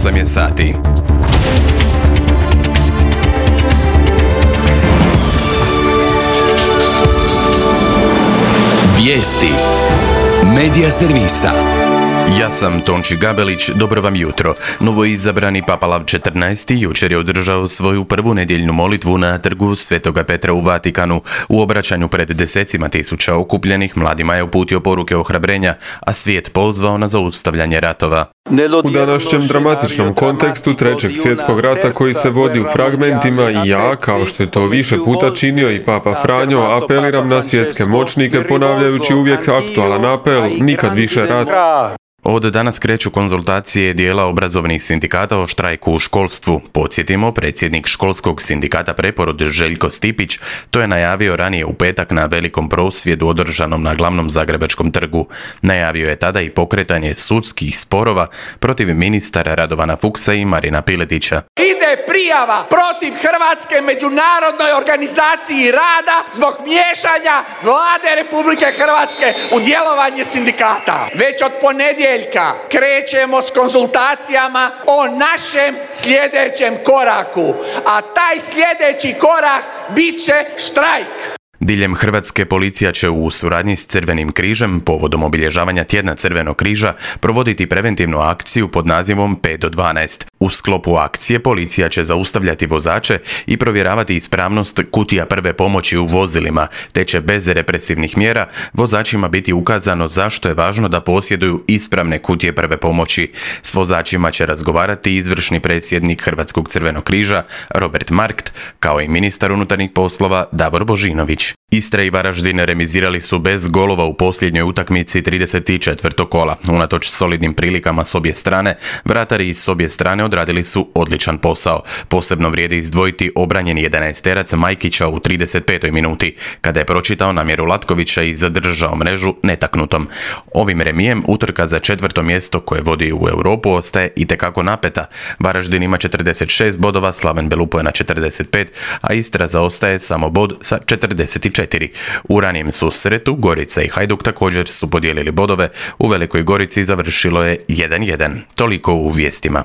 8 je sati. Vijesti Medija servisa. Ja sam Tonči Gabelić, dobro vam jutro. Novoizabrani Papa Lav XIV jučer je održao svoju prvu nedjeljnu molitvu na trgu Svetoga Petra u Vatikanu. U obraćanju pred desecima tisuća okupljenih mladima je uputio poruke ohrabrenja, a svijet pozvao na zaustavljanje ratova. U današnjem dramatičnom kontekstu Trećeg svjetskog rata koji se vodi u fragmentima i ja, kao što je to više puta činio i Papa Franjo, apeliram na svjetske moćnike ponavljajući uvijek aktualan apel, nikad više rat. Od danas kreću konzultacije dijela obrazovnih sindikata o štrajku u školstvu. Podsjetimo, predsjednik školskog sindikata Preporod Željko Stipić to je najavio ranije u petak na velikom prosvjedu održanom na glavnom zagrebačkom trgu. Najavio je tada i pokretanje sudskih sporova protiv ministara Radovana Fuchsa i Marina Piletića. Ide prijava protiv Hrvatske međunarodnoj organizaciji rada zbog miješanja Vlade Republike Hrvatske u djelovanje sindikata. Već od ponedjeljka krećemo s konzultacijama o našem sljedećem koraku, a taj sljedeći korak bit će štrajk. Diljem Hrvatske policija će u suradnji s Crvenim križem povodom obilježavanja tjedna Crvenog križa provoditi preventivnu akciju pod nazivom 5 do 12. U sklopu akcije policija će zaustavljati vozače i provjeravati ispravnost kutija prve pomoći u vozilima, te će bez represivnih mjera vozačima biti ukazano zašto je važno da posjeduju ispravne kutije prve pomoći. S vozačima će razgovarati izvršni predsjednik Hrvatskog Crvenog križa Robert Markt, kao i ministar unutarnjih poslova Davor Božinović. Istra i Varaždin remizirali su bez golova u posljednjoj utakmici 34. kola. Unatoč solidnim prilikama s obje strane, vratari s obje strane odradili su odličan posao. Posebno vrijedi izdvojiti obranjeni 11-terac Majkića u 35. minuti, kada je pročitao namjeru Latkovića i zadržao mrežu netaknutom. Ovim remijem utrka za 4. mjesto koje vodi u Europu ostaje itekako napeta. Varaždin ima 46 bodova, Slaven Belupo je na 45, a Istra zaostaje samo bod sa 44. U ranijem susretu Gorica i Hajduk također su podijelili bodove. U Velikoj Gorici završilo je 1-1. Toliko u vijestima.